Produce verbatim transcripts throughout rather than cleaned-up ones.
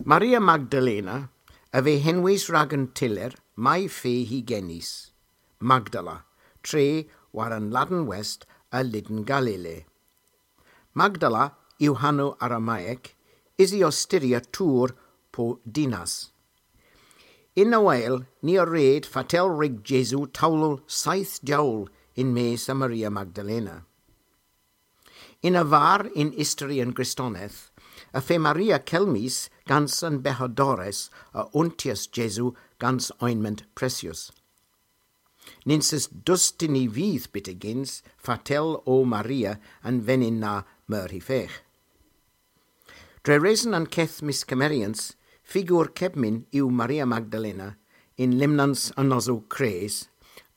Maria Magdalena a veu henwys rag an tyller may fe hy genys, Magdala, tre war an Laden West a Lyden Galile. Magdala yw hanow Aramaek, usi ow styrya tour po dinas. Yn Noel, ni a red fatel wrug Jesu towlel seyth jowl yn-mes a Maria Magdalena. Yn-war yn istori an Gristoneth, y feu Maria kelmys gans an beyhadores a untyas Jesu gans ointment presyus. Nyns eus dustynn y vydh byttegyns fatel o Maria an venyn na meur hy fegh. Dre reson an keth myskemmeryans, figur kepmyn yw Maria Magdalena yn lymnans an Nosow Kres,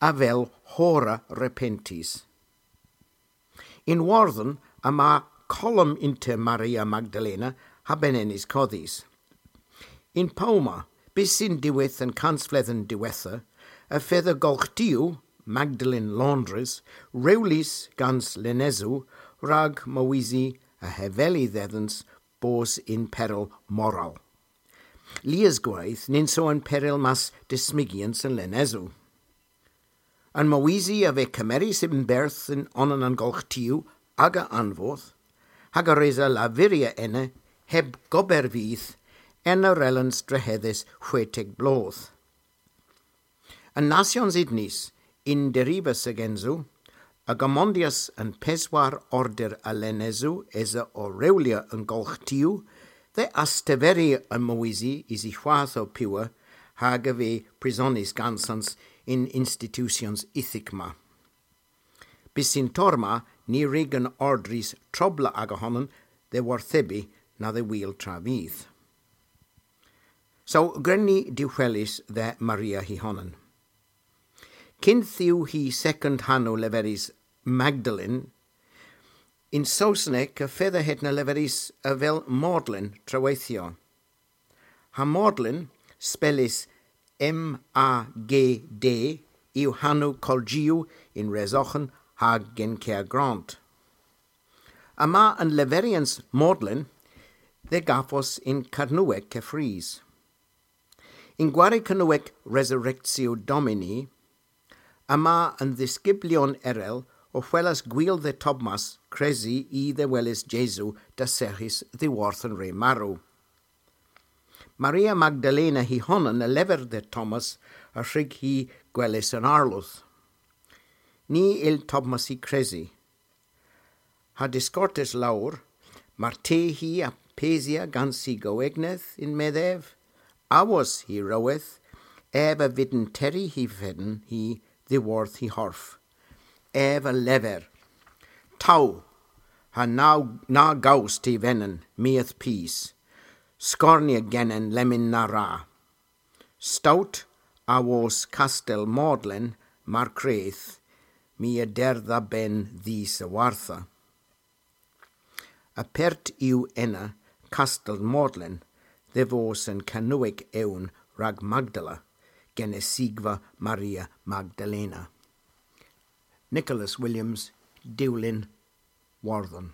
avel horra repentys. Yn Wordhen yma kolom ynter Maria Magdalena ha Benennys Kodhys. Yn Powma, bys yn diwedh an kansvledhen diwettha, y fedha golghtiow, Magdalen Laundries, rewlys gans lenesow rag mowysi a heveli dhedhans bos yn peryl moral. Lies gweyth nyns o an peryl mas dismygyans an lenesow. An mowysi a veu kemerys yn berdh yn onan an golghtiow aga anvoth, hag a resa lavurya ena heb gober vydh ena rellans drehedhes hwetek bloodh. An Nasyons Unys, yn derivas a-gynsow, a gomondyas an peswar order a lenesow esa ow rewlya an golghtiow, dhe asteveri an mowysi usi hwath o piwa hag a veu prisonys gansans yn institusyons euthek ma. Bys y'n tor ma, ny wrug an ordrys trobla aga honan dhe worthebi na dhe wul travyth. So, gwren ni dehweles dhe Maria hy honan. Kynth yw hy sekond hanow leverys Magdalen, yn Sowsnek y fedha hedna leverys avel Magdalen treweythyow. Ha Magdalen, spellys M A G D, yw hanow kolji yn Resoghan ha Glencairn Grant. Yma an leveryans Magdalen dhe gavos yn Kernewek keffrys. Yn gwari Kernewek Resurrectio Domini, yma an dhiskyblyon erel ow hwelas gwil dhe Thomas kresi i dhe weles Jesu dasserghys dhyworth an re marow. Maria Magdalena hy honan a lever dhe Thomas a wrug hi gweles an Arlodh. Ny yll Thomas hy kresi. Ha diskortes lowr, martesen hi a pesya gans hy goegneth yn-medh ev, awos hy roweth, ev a vydn terri hy fenn hi dhyworth hy horf. Ev a lever: Tow, ha na, na gows ty venen, my a'th pus. Skornya genen lemmyn na wra. Stout awos Kastel Magdalen mar kredh, my a der dha benn dhis a-wartha. Apert yw ena Kastel Magdalen dhe vos an Kernewek ewn rag Magdala, genesigva Maria Magdalena. Nicholas Williams, Dewlin, Wordhen.